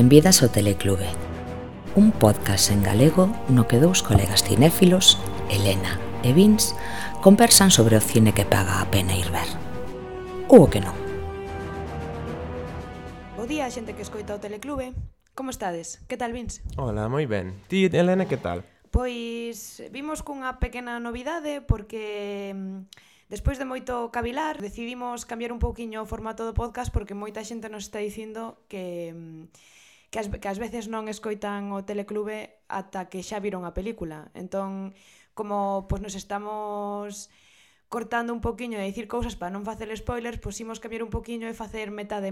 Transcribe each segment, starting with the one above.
Benvidas ao Teleclube, un podcast en galego no que dous colegas cinéfilos, Elena e Vince, conversan sobre o cine que paga a pena ir ver. Ou o que non. Bo día, xente que escoita o Teleclube. Como estades? Que tal, Vince? Hola, moi ben. Ti, Elena, que tal? Pois vimos cunha pequena novidade porque despois de moito cavilar decidimos cambiar un pouquiño o formato do podcast porque moita xente nos está dicindo que ás veces non escoitan o Teleclube ata que xa viron a película. Entón, como nos estamos cortando un pouquiño e dicir cousas para non facer spoilers, pois imos cambiar un pouquiño e facer metade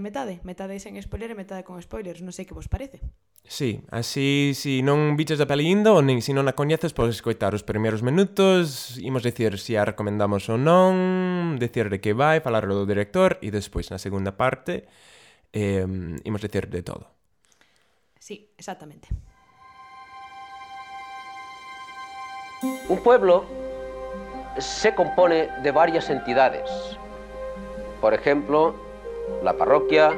sen spoiler e metade con spoilers. Non sei que vos parece. Sí, así, si non biches a peli indo ou nin se non a coñeces, podes escoitar os primeiros minutos, imos dicir se a recomendamos ou non, dicir de que vai, falar do director e despois na segunda parte imos dicir de todo. Sí, exactamente. Un pueblo se compone de varias entidades. Por ejemplo, la parroquia,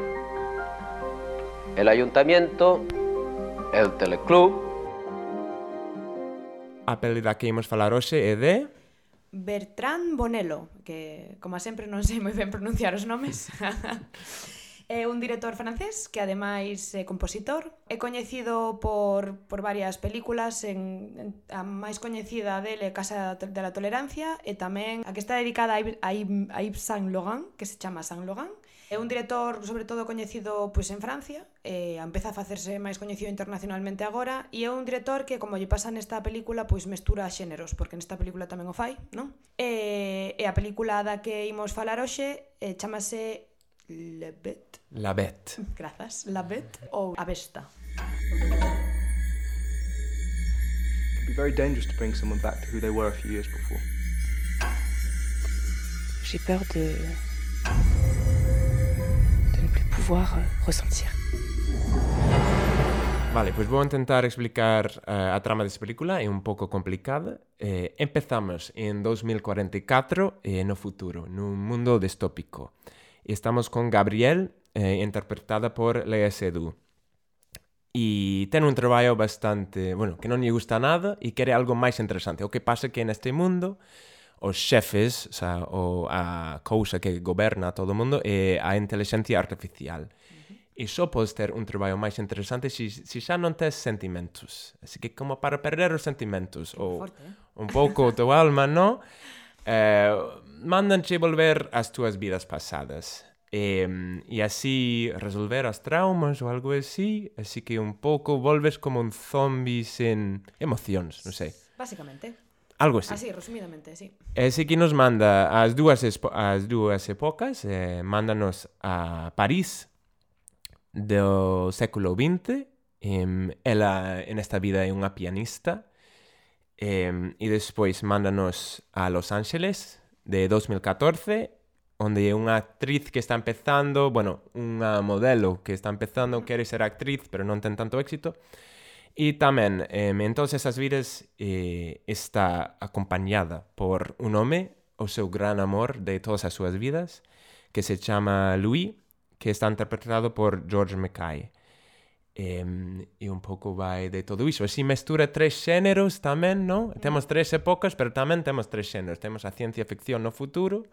el ayuntamiento, el teleclub. A peli da que imos falar hoxe é de... Bertrand Bonello, que, como sempre, non sei moi ben pronunciar os nomes. É un director francés que, ademais, é compositor. É coñecido por varias películas. A máis coñecida dele é Casa de la Tolerancia e tamén a que está dedicada a Yves Saint Laurent, que se chama Saint Laurent. É un director, sobre todo, coñecido en Francia. Empeza a facerse máis coñecido internacionalmente agora. E é un director que, como lle pasa nesta película, mestura xéneros, porque nesta película tamén o fai, non? E a película da que imos falar hoxe chamase La Bête. La Bête. Grazas. La Bête ou A Besta. It can be very dangerous to bring someone back to who they were a few years before. J'ai peur de ne plus pouvoir ressentir. Vale, pois vou intentar explicar a trama desta película, é un pouco complicada. Empezamos en 2044 no futuro, nun mundo distópico. Estamos con Gabrielle, interpretada por Léa Seydoux. E ten un traballo bastante, que non lle gusta nada e quere algo máis interesante. O que pasa que neste mundo os xefes, a cousa que goberna todo o mundo é a inteligencia artificial. E só podes ter un traballo máis interesante se xa non tes sentimentos. Así que como para perder os sentimentos ou un pouco o teu alma, non? Mandanche volver ás túas vidas pasadas e así resolver as traumas ou algo así que un pouco volves como un zombie sen emocións, non sei. Basicamente. Algo así. Así, resumidamente, sí. Así que nos manda as dúas épocas, mándanos a París do século XX. Ela en esta vida é unha pianista. E despois mándanos a Los Ángeles de 2014, onde é unha actriz que está empezando, unha modelo que está empezando, quere ser actriz, pero non ten tanto éxito. E tamén, en todas esas vidas, está acompañada por un home, o seu gran amor de todas as súas vidas, que se chama Louis, que está interpretado por George Mackay. E un pouco vai de todo iso. Así mestura tres xéneros tamén, non? Temos tres épocas, pero tamén temos tres xéneros. Temos a ciencia ficción no futuro,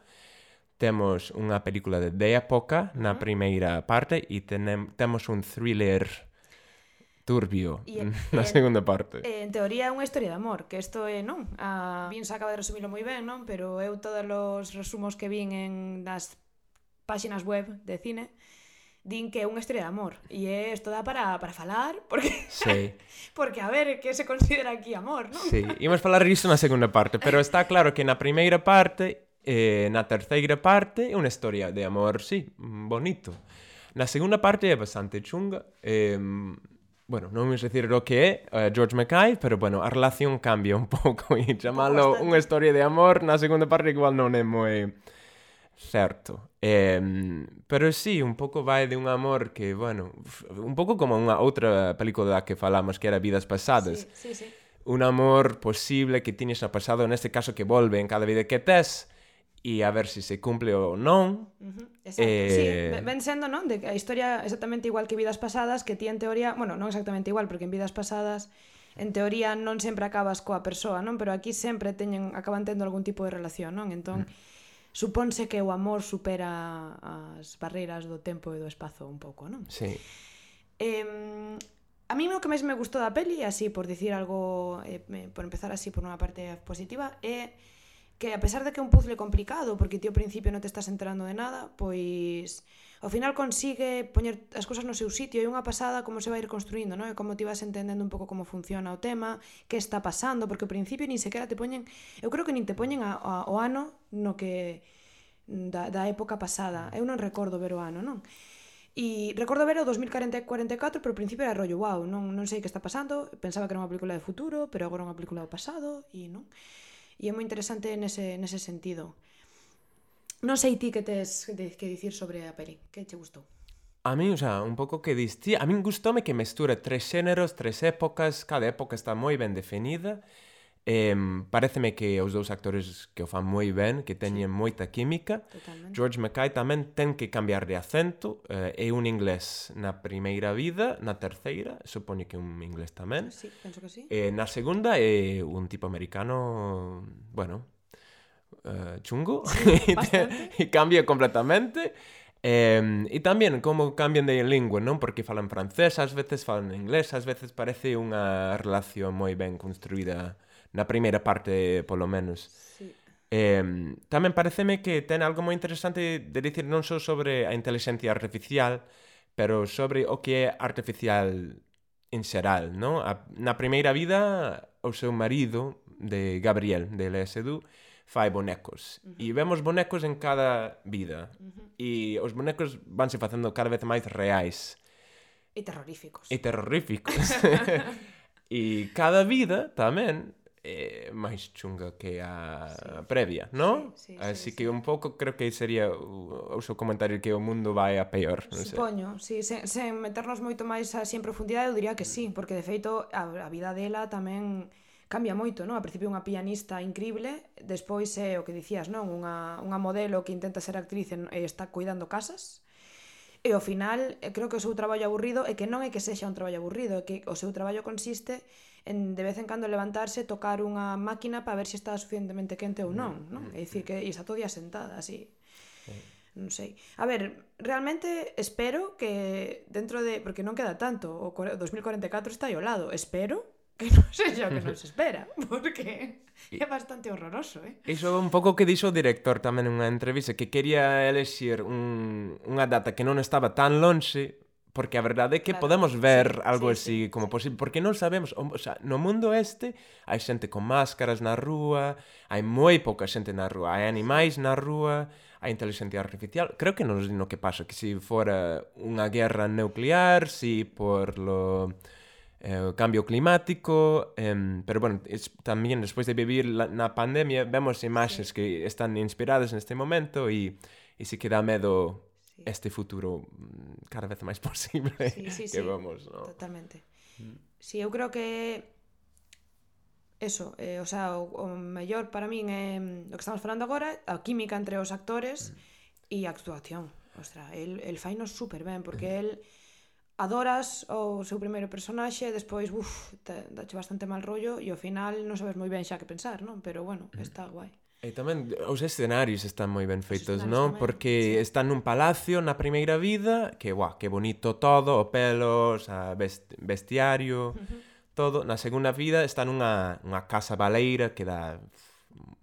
temos unha película de época na primeira parte e temos un thriller turbio na segunda parte. En teoría é unha historia de amor, que isto é, non? A Vince acaba de resumilo moi ben, non? Pero eu todos os resumos que vin nas páxinas web de cine din que é unha historia de amor e isto dá para falar porque sí. Porque a ver, que se considera aquí amor, non? Sí, imos falar iso na segunda parte, pero está claro que na primeira parte na terceira parte é unha historia de amor, sí, bonito. Na segunda parte é bastante chunga. Non vamos dicir o que é George Mackay, pero a relación cambia un pouco e chamalo unha historia de amor na segunda parte igual non é moi certo. Pero sí, un pouco vai de un amor que, un pouco como unha outra película que falamos que era Vidas Pasadas. Sí. Un amor posible que tiñes no pasado, neste caso que volve en cada vida que tes e a ver se cumple ou non. Exacto, sí, ven sendo, non? De que a historia exactamente igual que Vidas Pasadas, que ti en teoría, bueno, non exactamente igual, porque en Vidas Pasadas en teoría non sempre acabas coa persoa, non? Pero aquí sempre acaban tendo algún tipo de relación, non? Entón, supónse que o amor supera as barreiras do tempo e do espazo un pouco, non? Sí. A mí o que máis me gustou da peli, así por dicir algo, por empezar así por unha parte positiva, é que a pesar de que é un puzzle complicado, porque ti ao principio non te estás enterando de nada, pois ao final consigue poñer as cousas no seu sitio, e unha pasada como se vai ir construindo, non? E como ti vas entendendo un pouco como funciona o tema, que está pasando, porque ao principio nin sequera te poñen, eu creo que nin te poñen o ano no que da época pasada. Eu non recordo ver o ano, non? E recordo ver o 2044, pero ao principio era rollo, wow, non sei que está pasando, pensaba que era unha película de futuro, pero agora é unha película do pasado, e non. E é moi interesante nese sentido. Non sei ti que tes que dicir sobre a peli, que che gustou? A mí, o sea, un pouco que diste, a min gustoume que mestura 3 xéneros, 3 épocas, cada época está moi ben definida. Paréceme que os dous actores que o fan moi ben, que teñen moita química. Totalmente. George Mackay tamén ten que cambiar de acento, é un inglés na primeira vida, na terceira, supoño que un inglés tamén. Sí, penso que sí. Na segunda é un tipo americano, bueno, chungo, Sí, bastante. e cambia completamente. E tamén como cambian de lingua, non? Porque falan francés, ás veces falan inglés, ás veces parece unha relación moi ben construída na primeira parte, polo menos. Sí. Tamén pareceme que ten algo moi interesante de dicir non só sobre a inteligencia artificial, pero sobre o que é artificial en xeral, non? Na primeira vida, o seu marido, de Gabriel, de Léa Seydoux, fai bonecos. E vemos bonecos en cada vida. E os bonecos vanse facendo cada vez máis reais. E terroríficos. E terroríficos. E cada vida tamén é máis chunga que a previa, non? Sí, Así que un pouco creo que sería o seu comentario que o mundo vai a peor, non sei. Supoño, sí, sen meternos moito máis así en profundidade, eu diría que sí, porque de feito a vida dela tamén cambia moito, non? A principio unha pianista increíble, despois é o que dicías, non? Unha modelo que intenta ser actriz e está cuidando casas. E ao final, creo que o seu traballo aburrido é que non é que sexa un traballo aburrido, é que o seu traballo consiste en de vez en cando levantarse, tocar unha máquina para ver se está suficientemente quente ou non, non? É dicir, que está todo día sentada, así. Non sei. A ver, realmente espero que dentro de... Porque non queda tanto, o 2044 está aí ao lado. Espero que non sexa o que nos espera, porque é bastante horroroso, Iso é un pouco que dixo o director tamén nunha entrevista, que quería elexir unha data que non estaba tan lonxe, porque a verdade é que Claro, podemos ver sí, algo sí, así sí, como sí. posible, porque non sabemos, o sea, no mundo este hai xente con máscaras na rúa, hai moi pouca xente na rúa, hai animais na rúa, hai inteligencia artificial. Creo que non sei no que pasa, que se fora unha guerra nuclear, si por lo cambio climático, pero bueno, tamén despois de vivir na pandemia vemos imaxes que están inspiradas neste momento e si que dá medo este futuro cada vez máis posible que vamos, ¿no? Totalmente. Sí, eu creo que eso, o sea, o mellor para min é o que estamos falando agora, a química entre os actores e a actuación. Ostra, el fainos super ben, porque el adoras o seu primeiro personaxe, despois, dache bastante mal rollo e ao final non sabes moi ben xa que pensar, non? Pero bueno, está guai. E tamén os escenarios están moi ben feitos, escenarios non? tamén, Porque están nun palacio na primeira vida, que bonito todo, o pelo, o sea, bestiario, todo. Na segunda vida está nunha casa baleira que dá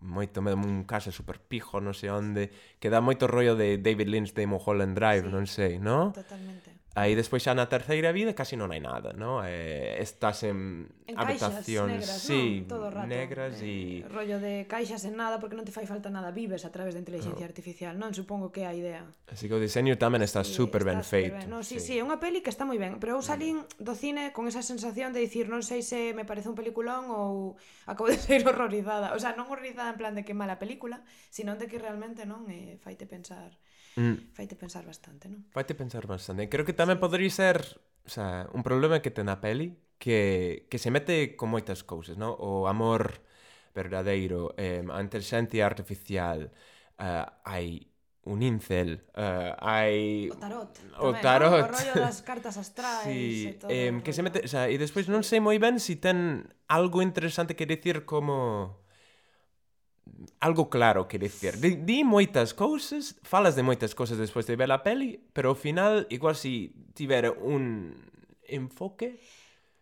moito medo, un casa super pijo, non sei onde, que dá moito rollo de David Lynch de Mulholland Drive, non sei, non? Totalmente. Aí despois xa na terceira vida casi non hai nada, non? Estás en habitacións, negras, sí, non? Todo o rato. negras e rollo de caixas en nada porque non te fai falta nada, vives a través da inteligencia artificial, non? Supongo que é a idea. así que o diseño tamén está super ben feito. No, sí, é unha peli que está moi ben, pero eu salín do cine con esa sensación de dicir, non sei se me parece un peliculón ou acabo de ser horrorizada. O sea, non horrorizada en plan de que mala película, sino de que realmente non faite pensar bastante, non? Faite pensar bastante. Creo que tamén podría ser, o sea, un problema que ten a peli que se mete con moitas cousas, non? O amor verdadeiro, a inteligencia artificial, hai un incel, hai... O tarot. O tamén, tarot. non? O rollo das cartas astrais Sí, e todo. que se mete, o sea, e despois non sei moi ben se ten algo interesante que dicir como algo claro que dicir. Di moitas cousas, falas de moitas cousas despois de ver a peli, pero ao final igual se tivera un enfoque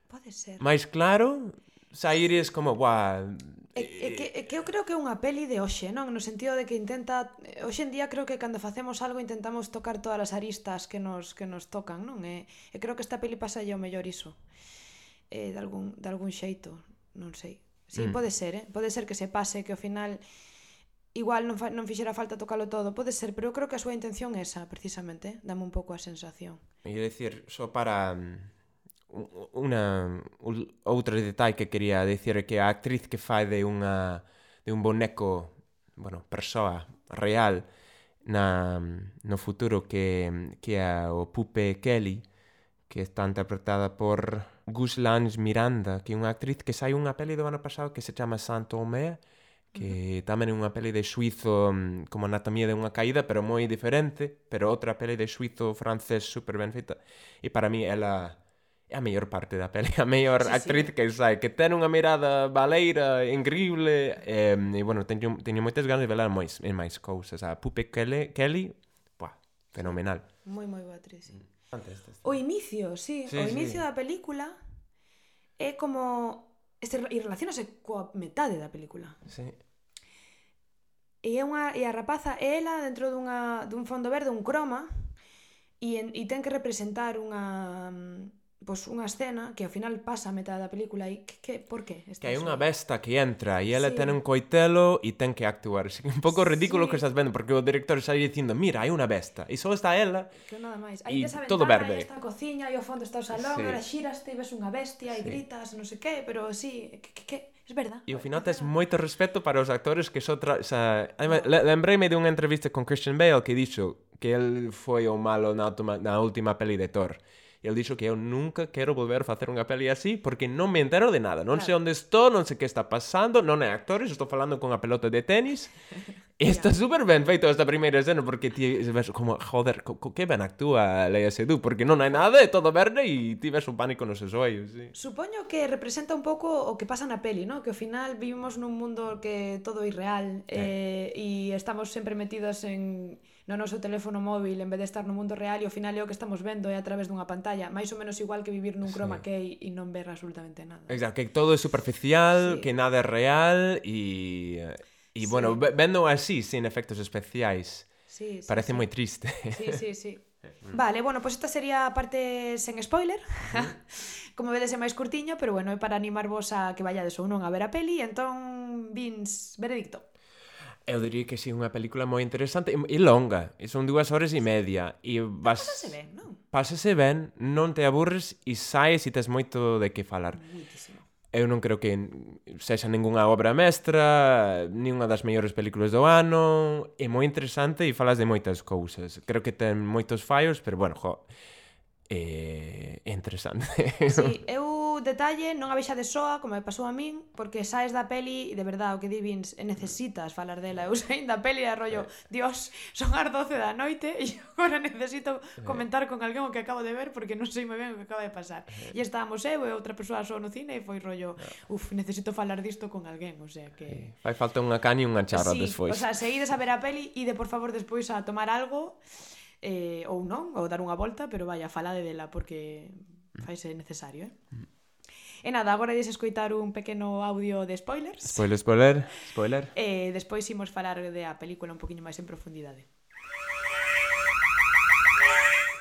Pode ser. máis claro, saíres como, guau... Que eu creo que é unha peli de hoxe, non? No sentido de que intenta... Hoxe en día creo que cando facemos algo intentamos tocar todas as aristas que nos tocan, non? E creo que esta peli pasa ao mellor iso. De algún xeito, non sei. Sí, pode ser, Pode ser que se pase, que ao final igual non fixera falta tocalo todo, pode ser, pero eu creo que a súa intención é esa, precisamente, dame un pouco a sensación. E dicir, só para outro detalle que quería dicir é que a actriz que fai de un boneco, bueno, persoa real no futuro que é o Pupe Kelly, que está interpretada por Guslange Miranda, que é unha actriz que sai unha peli do ano pasado que se chama Saint-Omer, que tamén é unha peli de suizo como Anatomía de unha caída, pero moi diferente, pero outra peli de suizo francés super ben feita. E para mí ela é a mellor parte da peli, a mellor actriz que sai, que ten unha mirada baleira increíble, e bueno, teño moitas ganas de velar en máis cousas. A Pupe Kelly, fenomenal. Moi boa actriz, sí. Fantástico. O inicio, sí, o inicio da película é como... E relacionase coa metade da película. Sí. E a rapaza é ela dentro dun fondo verde, un croma, e ten que representar unha escena que ao final pasa a metade da película e por qué? Que hai unha besta que entra e ela ten un coitelo e ten que actuar. É un pouco ridículo que estás vendo, porque o director está dicindo, mira, hai unha besta, e só está ela que nada máis. E Aí tes a todo ventana, verde. aí está a cociña, e ao fondo está o salón, Sí. e ahora xiraste e ves unha bestia e gritas, non sei que, pero sí, que é verdad. E ao final tes moito respeto para os actores que lembreime de unha entrevista con Christian Bale que dixo que el foi o malo na última peli de Thor. E ele dixo que eu nunca quero volver a facer unha peli así porque non me entero de nada, non sei onde estou, non sei que está pasando, non é actores, estou falando con a pelota de tenis. E está super ben feito esta primeira escena porque ti ves como, joder, que ben actúa Léa Seydoux, porque non hai nada, é todo verde e ti ves un pánico nos seus ollos, sí. Supoño que representa un pouco o que pasa na peli, ¿no? Que ao final vivimos nun mundo que todo é irreal e estamos sempre metidos no noso teléfono móvil en vez de estar no mundo real e ao final é o que estamos vendo é a través dunha pantalla, máis ou menos igual que vivir nun chroma key e non ver absolutamente nada. Exacto, que todo é superficial, que nada é real e bueno, vendo así, sin efectos especiais, parece moi triste. Sí. Vale, bueno, pois esta sería a parte sen spoiler. Como vedes é máis curtiño, pero bueno, é para animarvos a que vayades ou non a ver a peli. Entón, Vince, veredicto. Eu diría que sí, unha película moi interesante e longa, e son 2 horas e media e Pásase ben, non? Pásase ben, non te aburres e saes e tes moito de que falar. Muitísimo. Eu non creo que sexa ningunha obra mestra, nin unha das mellores películas do ano, é moi interesante e falas de moitas cousas. Creo que ten moitos fallos, pero bueno, é interesante. Sí, eu detalle non a vexades soa, como me pasou a min, porque saes da peli e de verdade o que di Vince, necesitas falar dela. Eu saín da peli e rollo, Dios, son as 12 da noite e agora necesito comentar con alguén o que acabo de ver porque non sei moi ben o que acaba de pasar. E estábamos eu e outra persoa só no cine e foi rollo, necesito falar disto con alguén, o sea que... Fai falta unha caña e unha charra despois. O sea, se ides a ver a peli, ide por favor despois a tomar algo, ou non, ou dar unha volta, pero vaya, falade dela porque faise necesario, E nada, agora ides escoitar un pequeno audio de spoilers. Spoiler. E despois imos falar da película un poquinho máis en profundidade.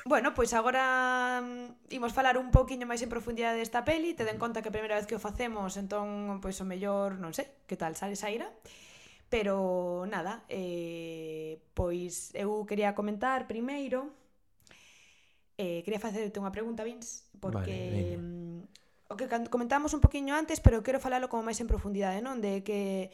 Bueno, pois agora imos falar un poquinho máis en profundidade desta peli. Tede en conta que a primeira vez que o facemos, entón, pois o mellor, non sei, que tal sale saíra. Pero nada, pois eu quería comentar primeiro, quería facerte unha pregunta, Vince, porque o que comentamos un poquinho antes, pero quero falalo como máis en profundidade, non? De que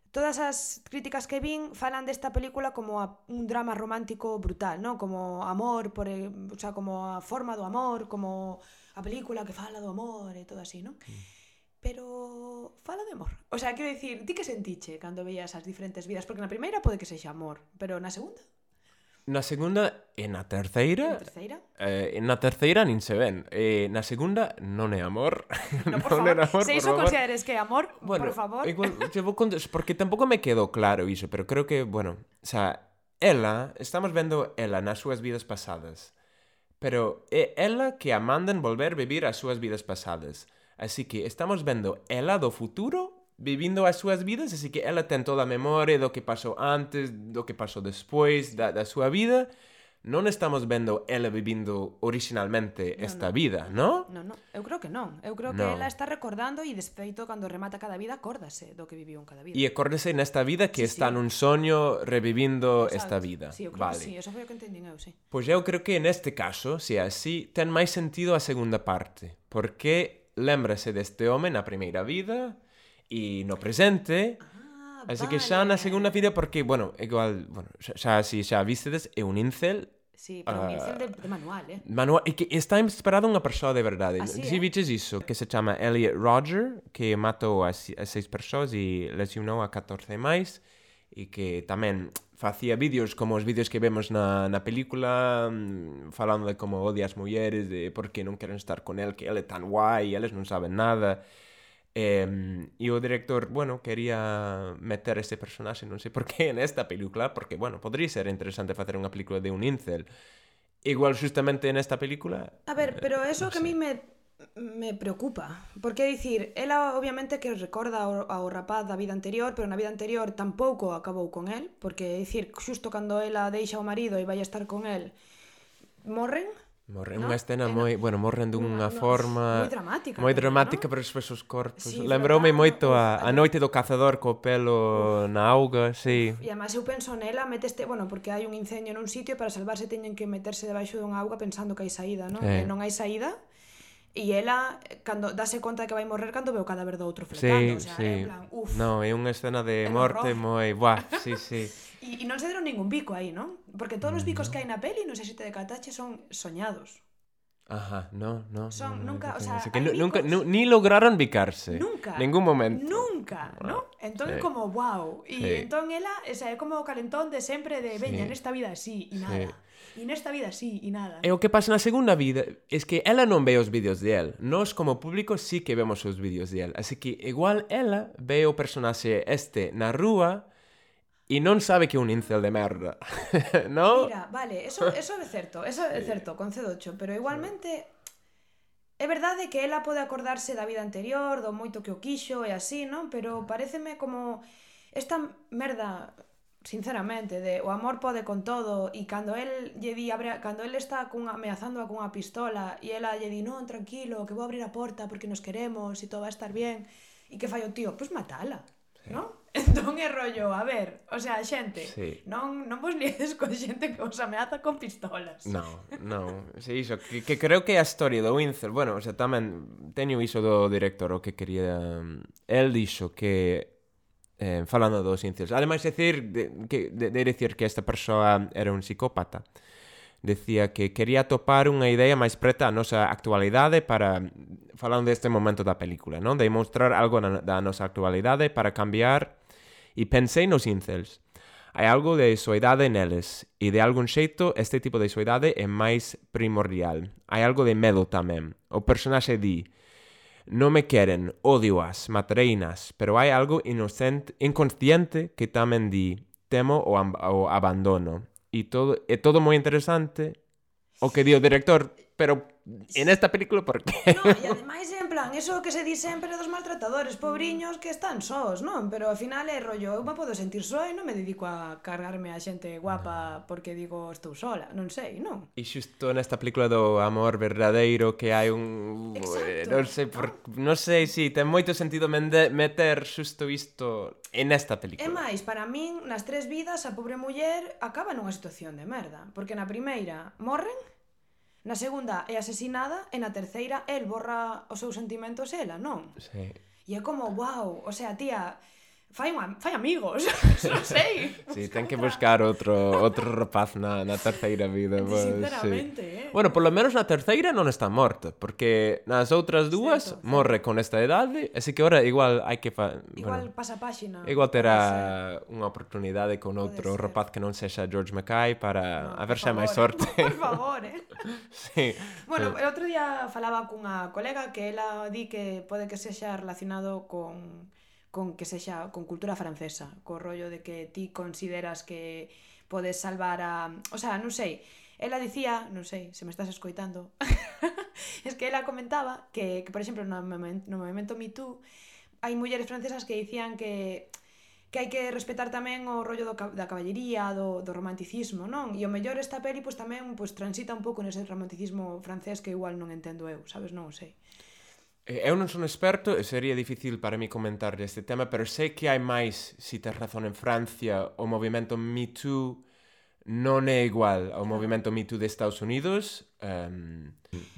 todas as críticas que vin falan desta película como un drama romántico brutal, non? Como amor, o sea, como a forma do amor, como a película que fala do amor e todo así, non? pero fala de amor. O sea, quero dicir, ti que sentiche cando veías as diferentes vidas? Porque na primeira pode que sexa amor, pero na segunda? Na segunda e na terceira... Na terceira? Na terceira nin se ven. Na segunda non é amor. No, por favor, é amor, se iso consideres que é amor, por favor. Igual, porque tampouco me quedou claro iso, pero creo que, bueno, o sea, estamos vendo ela nas súas vidas pasadas, pero é ela que a mandan volver vivir as súas vidas pasadas. Así que estamos vendo ela do futuro vivindo as súas vidas, así que ela ten toda a memoria do que pasou antes, do que pasou despois da súa vida. Non estamos vendo ela vivindo originalmente esta vida, ¿no? Non, eu creo que non. Eu creo que ela está recordando e despeito cando remata cada vida acórdase do que viviu en cada vida. E acórdase nesta vida que está nun soño revivindo esta vida. Sí, eu creo que sí, eso foi o que entendín eu, sí. Pois eu creo que neste caso, se é así, ten máis sentido a segunda parte, porque lémbrase deste home na primeira vida e no presente. Así que xa na segunda vida, porque, bueno, igual, bueno, xa vistedes, é un incel. Sí, pero un incel de manual, Manual, e que está inspirado unha persoa de verdade. Así, Si viches iso, que se chama Elliot Rodger, que matou a 6 persoas e lesionou a 14 máis, e que tamén facía vídeos como os vídeos que vemos na película, falando de como odia as mulleres, de por que non queren estar con el, que ele é tan guai, e eles non saben nada. E o director, bueno, quería meter ese personaxe, non sei por qué, nesta película, porque, bueno, podría ser interesante facer unha película de un incel. Igual, justamente nesta película... A ver, pero eso que a mí me preocupa, porque é dicir, ela obviamente que recorda ao rapaz da vida anterior, pero na vida anterior tampouco acabou con el, porque é dicir, xusto cando ela deixa o marido e vai a estar con el, morren. Morren, unha escena moi... Bueno, morren dunha forma... Moi dramática, ¿no? Pero despois os corpos. Sí, Lembroume moito a noite do cazador co pelo na auga, sí. E además eu penso nela, bueno, porque hai un incendio nun sitio e para salvarse teñen que meterse debaixo dunha auga pensando que hai saída, non? E non hai saída. E ela, cando dase conta de que vai morrer cando ve o cadáver do outro fletando, o sea, en plan, No, é unha escena de morte moi... Buah, sí. E non se deron ningún bico aí, non? Porque todos os bicos que hai na peli, non sei se te decatache, son soñados. Ajá, no. Son, nunca, o sea, que nunca, ni lograron bicarse. Nunca. Ningún momento. Nunca, ¿no? Entón é como, wow. E entón ela, esa é como o calentón de sempre de, veña, nesta vida así, e nada. E nesta vida así, e nada. E o que pasa na segunda vida é que ela non ve os vídeos de él. Nós, como público, sí que vemos os vídeos de él. Así que, igual, ela ve o personaxe na rúa e non sabe que é un incel de merda. ¿No? Mira, vale, eso é certo, concedocho, pero igualmente é verdade que ela pode acordarse da vida anterior, do moito que o quixo e así, non? Pero paréceme como esta merda, sinceramente, de o amor pode con todo, e cando el está ameazándoa cunha pistola e ela lle di, non, tranquilo, que vou abrir a porta porque nos queremos e todo va a estar bien, e que fai o tío? Pois matala, non? Entón é rollo, a ver, o sea, xente, non vos liedes con xente que vos ameaza con pistolas. Non, sí, iso, que creo que a historia do incel, bueno, o sea, tamén teño iso do director, o que quería, el dixo que falando dos incels, ademais de decir que esta persoa era un psicópata, decía que quería topar unha idea máis preta a nosa actualidade para, falando deste momento da película, non? De mostrar algo da nosa actualidade para cambiar. E pensei nos incels. Hai algo de soidade neles, e de algún xeito este tipo de soidade é máis primordial. Hai algo de medo tamén. O personaxe di, non me queren, odioas, matareinas, pero hai algo inconsciente que tamén di, temo o abandono. E todo moi interesante o que di o director, pero en esta película, por qué? No, e ademais, en plan, eso que se di sempre dos maltratadores, pobriños que están sós, non? Pero ao final é rollo, eu me podo sentir só e non me dedico a cargarme a xente guapa porque digo estou sola, non sei, non? E xusto nesta película do amor verdadeiro que hai un... non sei, si, ten moito sentido meter xusto isto en esta película. E máis, para min, nas 3 vidas, a pobre muller acaba nunha situación de merda, porque na primeira morren, na segunda é asesinada e na terceira el borra os seus sentimentos ela, non? Sí. E é como, wow, o sea, tía, fai amigos, non sei. Sí, ten que buscar outro rapaz na terceira vida. Sinceramente, sí. Bueno, polo menos na terceira non está morta, porque nas outras dúas morre con esta idade, así que ora igual hai que... Igual pasa páxina. Igual terá unha oportunidade con outro rapaz que non sexa George Mackay para a ver se hai máis sorte. Por favor, Sí. Bueno, el outro día falaba cunha colega que ela di que pode que sexa relacionado con que sexa con cultura francesa, co rollo de que ti consideras que podes salvar a... O sea, non sei, ela dicía, non sei, se me estás escoitando, es que ela comentaba que por exemplo, no movimento Me Too, hai mulleres francesas que dicían que hai que respetar tamén o rollo da caballería, do romanticismo, non? E o mellor esta peli pois tamén pois transita un pouco nese romanticismo francés que igual non entendo eu, sabes? Non o sei. Eu non son experto e sería difícil para mí comentar este tema, pero sei que hai máis, si tes razón, en Francia o movimento Me Too non é igual ao movimento Me Too de Estados Unidos.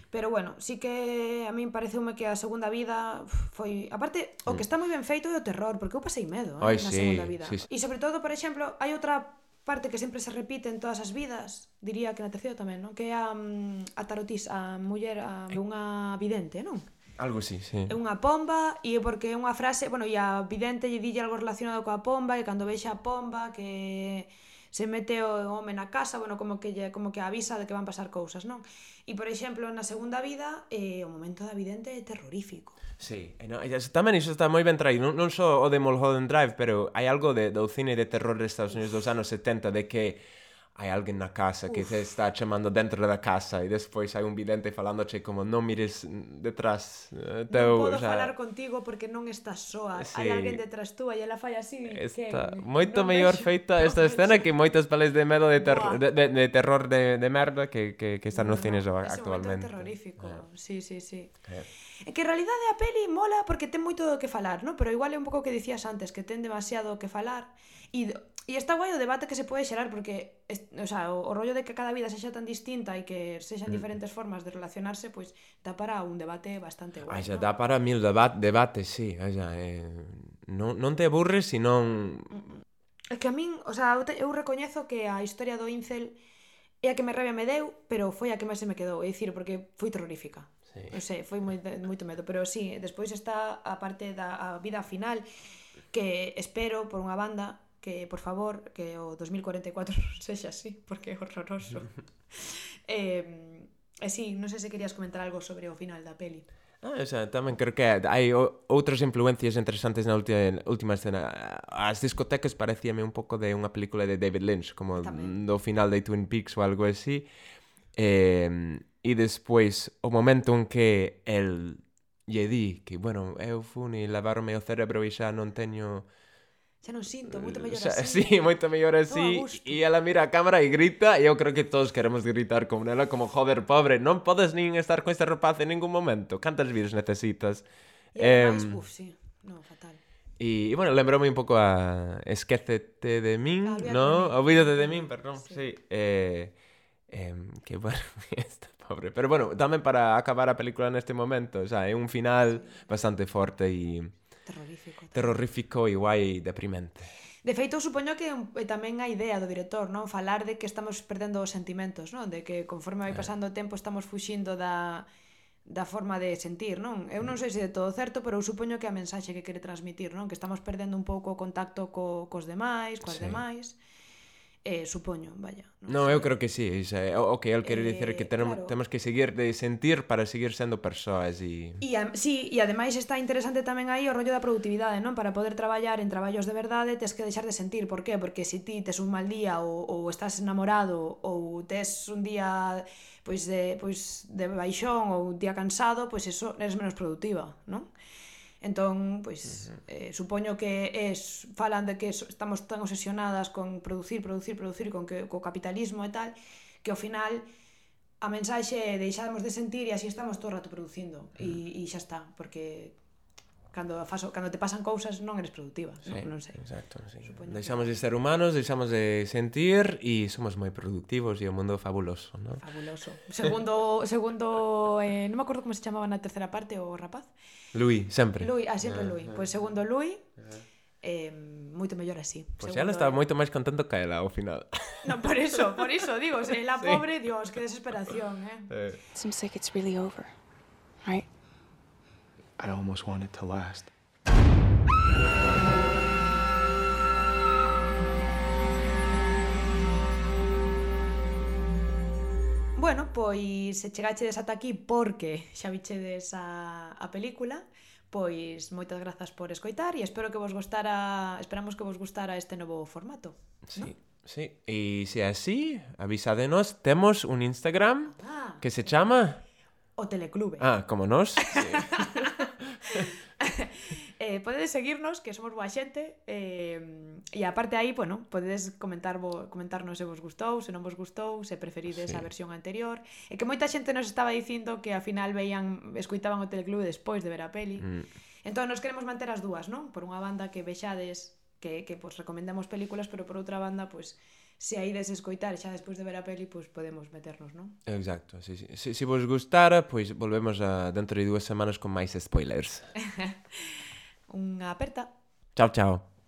Pero bueno, sí que a min pareceume que a segunda vida foi... Aparte, o que está moi ben feito é o terror, porque eu pasei medo na segunda vida. Sí. E sobre todo, por exemplo, hai outra parte que sempre se repite en todas as vidas, diría que na terceira tamén, non? Que é a tarotista, a muller, unha vidente, non? Algo así, sí. É unha pomba e porque é unha frase, bueno, e a vidente lle dille algo relacionado coa pomba e cando vexa a pomba que se mete o home na casa, bueno, como que avisa de que van pasar cousas, non? E por exemplo, na segunda vida, o momento da vidente é terrorífico. Sí, tamén iso está moi ben traído, non só o de Mulholland Drive, pero hai algo do cine de terror de Estados Unidos dos anos 70 de que hai alguén na casa que te está chamando dentro da casa e despois hai un vidente falándoche como non mires detrás teu, non podo falar contigo porque non estás soa, sí. Hai alguén detrás túa e ela fai así. Está moito mellor feita esta escena que moitas pelis de medo de terror de merda que están nos cines actualmente. É terrorífico, sí. É que en realidade a peli mola porque ten moito do que falar, non? Pero igual é un pouco o que dicías antes, que ten demasiado que falar e está guai o debate que se pode xerar porque o sea, o rollo de que cada vida sexa tan distinta e que sexan diferentes formas de relacionarse, pois dá para un debate bastante guai. Xa dá para mil debates, sí. Non te aburres se non... É que a min, o sea, eu recoñezo que a historia do incel é a que me rabia me deu, pero foi a que máis se me quedou, é dicir, porque foi terrorífica. Sí. Non sei, foi moito medo, pero sí, despois está a parte da vida final que espero por unha banda que, por favor, que o 2044 sexa así, porque é horroroso. Sí, non sei se querías comentar algo sobre o final da peli. Tamén creo que hai outras influencias interesantes na última escena. As discotecas parecíame un pouco de unha película de David Lynch, como do final de Twin Peaks ou algo así. E despois, o momento en que el lle di que, bueno, eu fun e lavaronme o cerebro e xa non teño... Xa non sinto, moito mellor así. Sí, moito mellor así. E ela mira a cámara e grita, e eu creo que todos queremos gritar como nela, como, joder, pobre, non podes nin estar con este rapaz en ningún momento. Cantas vidas necesitas? E ademais, sí, non, fatal. E, bueno, lembrome un pouco a Esquécete de min, ¿no? Olvídate de min, perdón, sí. Que, bueno, está pobre. Pero, bueno, tamén para acabar a película neste momento, o sea, é un final bastante forte e... Terrorífico e guai deprimente. De feito, supoño que tamén a idea do director, non? Falar de que estamos perdendo os sentimentos, non? De que conforme vai pasando o tempo estamos fuxindo da forma de sentir, non? Eu non sei se de todo certo, pero eu supoño que a mensaxe que quere transmitir, non? Que estamos perdendo un pouco o contacto cos demais, coas demais. Supoño, vaya. Non, eu creo que sí. O que el quere dicir que temos que seguir de sentir para seguir sendo persoas e... Sí, e ademais está interesante tamén aí o rollo da produtividade, non? Para poder traballar en traballos de verdade tes que deixar de sentir. Por qué? Porque se ti tes un mal día ou estás enamorado ou tes un día pois de baixón ou un día cansado, pois eso eres menos productiva, non? Entón, pois, supoño que falan de que estamos tan obsesionadas con producir con co capitalismo e tal, que ao final a mensaxe é deixamos de sentir e así estamos todo o rato producindo e xa está, porque cando te pasan cousas non eres productiva, non sei. Exacto, sí. Deixamos de ser humanos, deixamos de sentir e somos moi productivos e o mundo fabuloso, non? Fabuloso. Segundo non me acordo como se chamaba na terceira parte o rapaz. Louis, sempre. Louis, sempre Louis. Pois segundo Louis, Moito mellor así. Pois ela estaba moito máis contento que ela ao final. Non, por iso, digo, se la pobre, Dios, que desesperación, Seems like it's really over, right? I almost want it to last. Bueno, pois se chegachedes ata aquí porque xa vichedes a película, pois moitas grazas por escoitar e esperamos que vos gustara este novo formato. Sí, sí. E se é así, avisádenos, temos un Instagram que se chama... O Teleclube. Como nós. Sí. Podedes seguirnos, que somos boa xente, e aparte aí, bueno, podedes comentarnos se vos gustou, se non vos gustou, se preferides a versión anterior, e que moita xente nos estaba dicindo que ao final escoitaban o Teleclube despois de ver a peli. Entón, nos queremos manter as dúas, non? Por unha banda que vexades, que pues, recomendamos películas, pero por outra banda, pues, se aides escoitar xa despois de ver a peli, pues podemos meternos, non? Exacto, sí. Se vos gustara, pois volvemos dentro de 2 semanas con máis spoilers. Unha aperta. Chao, chao.